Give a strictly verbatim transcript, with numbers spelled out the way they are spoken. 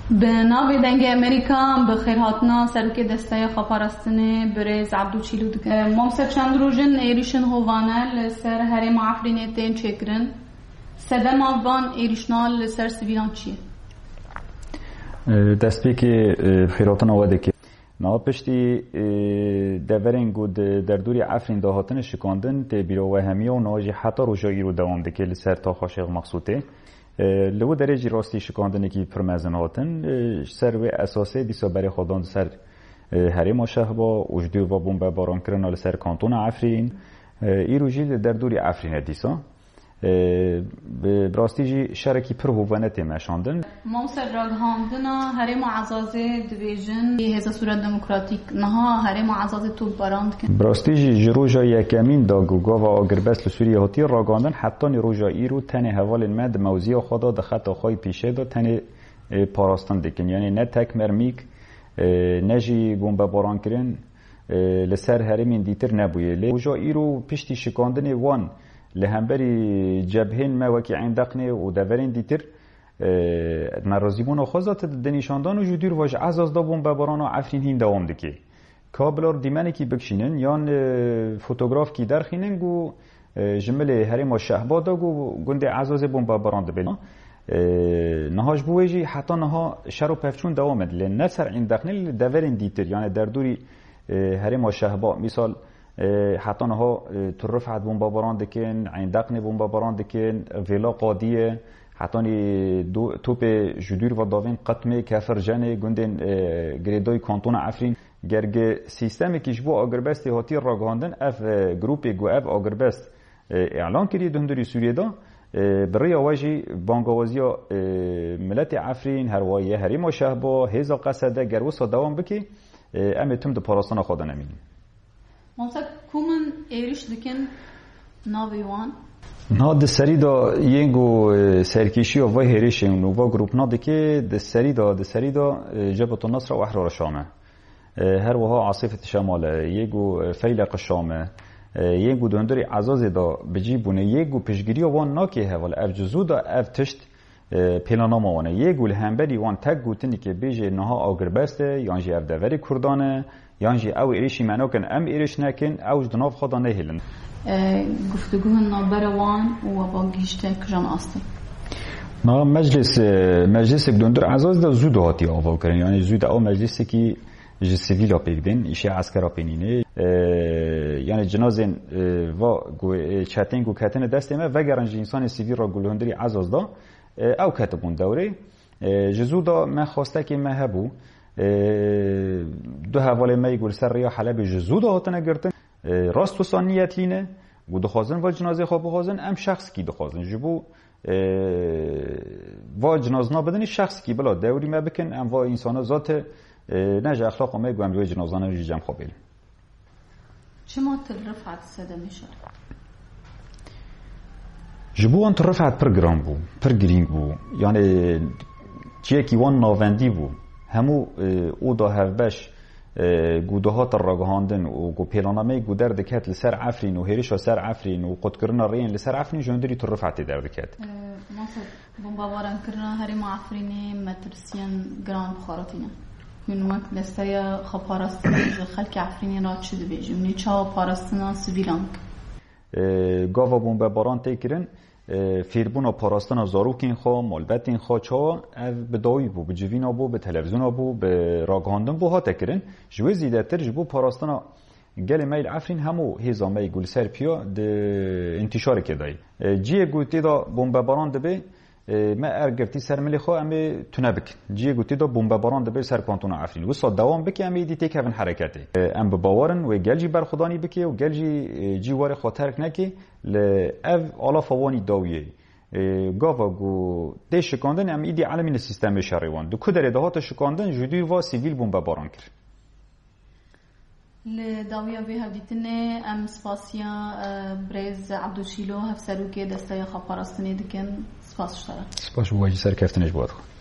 Bi navê Dengê Amerîka em bi xêrhatina serokê Desteya Xweparastinê Birêz Ebdû Çîlû dikin. Mamoste, çend roj in êrîşên hovane li ser herêma Efrînê tên çêkirin. Sedema van êrîşna li ser sivîlan çi ye? E, destpêkê, e, xêrhatina we dike. Niha piştî, e, deverên ku di derdorî Efrîn de hatine şikandin tê bîra we hemiya û niha jî heta roja îro dewam dike li ser taxa Şêx Mexsûtê. E, li wî derê jî rastî şikandinekî pir mezin hatin. E, ji ser wê esasê dîsa berê xwe dan ser, e, herêma Şehba û ji dûr ve bombebaran kirina li ser kantona Efrîn. E, îro jî li derdorî Efrîn e dîsa. E, bi, bi rastî jî şerekî pir hovane tê meşandin. Mamoste, ragihandina herêma Ezazê dibêjin, hêza Sûriya Demokratîk niha herêma Ezazê topbaran dikin. Bi rastî jî ji roja yekemîn de ku gava agirbest li Sûriyê hatiye ragihandin, hetanî roja îro tenê hevalên me di mewziya xwe de, di xeta xwe yê pîşê de tenê, e, parastin dikin. Yanî ne tek mermîk, e, ne jî bombebarankirin, e, li ser herêmên dîtir nebûye. Lê roja îro piştî şikandinê wan li hemberî cebhên me wekî Eyn Deqnê û deverên dîtir, e, nerazîbûna xwe zate di nîşandan û ji dûr ve ji Ezaz de bombebarana Efrîn hîn dewam dike. Ka bila dîmenekî bikişînin yan, e, fotografkî derxînin ku, e, ji milê herêma Şehba de ku gundê Ezazê bombebaran dibe. E, niha ji bo wê jî heta niha şer û pevçûn dewam e. Lê ne ser Eyn Deqnê, li deverên dîtir, yani derdorî, e, herêma Şehba, misal, e, heta niha, e, Tur Rifet bombebaran dikin, Eyn Deqnê bombebaran dikin, Vêla Qadiye, hetanî do-, topê ji dûr ve davên Qitmê, Kefir Cenê, gundên, e, girêdayî kantona Efrîn. Ger gi sîstemekî ji bo agirbestê hatiye ragihandin, ev, e, grûpê ku ev agirbest, e, îlan kiriye di hundirî Sûriyê de, e, bi rêya we jî bangawaziya, e, miletê Efrîn, her wiha yê herêma Şehba, hêza Qesede, ger wisa dewam bike, e, em ê tim di parastina xwe de nemînin. Mamoste, ku min êrîş dikin navê wan? Na di serî de yên ku, e, serkêşiya vê hêrişên û va grûpna dike, di serî de, di serî de, e, Cebhetul Nusra û Ehrara Şam e. E, her wiha Asîfet Şemal e, yê ku, e, Feyleq Şam e, e, yê ku di hundirê Ezazê de bi cî bûne, yê ku piştgiriya wan nake heval, ev cizû de ev tişt, e, pêlanama wan e. Yê ku li hemberî wan tek gotinekê bêje niha agirbest e, yan jî ev deverê Kurdan e, yan jî ew êrişî me nakin, em êriş nekin, ew ji di nav xwe de nehêlin. E, guftûguhên navbera wan û we va gihîşte kijan astê? Na meclis, e, meclisek di hundir Ezaz de zû de hatiye avakirin. Yani zû de ew meclisekî ji sivîla pêk bên, îşê eskera pê nîne. E, yani cinazên, e, va ku, e, çetên ku ketine destê me, vegerin ji însanên sivîl re ku li hundirî Ezaz de, e, ew ketibûn dewrê. E, ji zû de me xwestekê me hebû. E, du hevalê me yê ku li ser rêya Helebê ji zû de hatine girtin. E, rast wisa niyet lîne, ku dixwazin va cinazê xwe bixwazin, em şexsikî dixwazin. Ji bo, e, va cinazna bidinî şexsikî bila dewrî me bikin, em va însana zate, e, ne ji exlaqa me ku em ji wê cinazana jî cem xwe bêlin. Çima Til Rifet sedemê şer? Ji bo wan Til Rifet pir giran bû, pir girîng bû. Yani çiyekî wan navendî bû. Hemû, e, oda hevbeş, e, ku dihate ragihandin û ku pêlanameyê ku derdiket li ser Efrîn û hêrişa ser Efrîn û qutkirina rêyên li ser Efrîn ji hundirî Til Rifetê derdiket. E, Mamoste, bombebaran kirina herêma Efrînê metirsiyên giran bi xwe re tîne. Hûn wek desteya xweparastinê ji xelkê Efrînê re çi dibêjin? Hûn ê çawa parastina sivîlan bikin? E, gava bombebaran tê kirin, e, fêrbûna parastina zarokên xwe, malbetên xwe, çawa ev bi dawî bû, bi civîna bû, bi televîzyona bû, bi ragihandin bû hate kirin. Ji wê zêdetir ji bo parastina gelê me yê li Efrîn hemû hêza me yê ku li ser piya di întîşarekê de ye. E, ciyê ku tê de bombebaran dibe, e, me er girtî ser milê xwe em ê tune bikin. Ciyê ku tê de bombebaran dibe ser kantona Efrîn. Wisa dewam bike em ê dî têkevin hereketê. E, em bi bawer in wê gel jî berxwedanî bike û gel jî, e, cî warê xwe terk neke. Li ev alafa wanî dawiyê. E, gava ku tê şikandin em îdî elemîne sîstemê şerê wan. Di ku derê de hate şikandin ji dûr va sivîl bombebaran kir. Li dawiya vê hevdîtinê em spasiya, e, birêz Ebdû Çîlo, hevserokê Desteya Xweparastinê dikin. Spas ji te re. Spas ji bo we jî, serkeftinê ji bo we dixwim.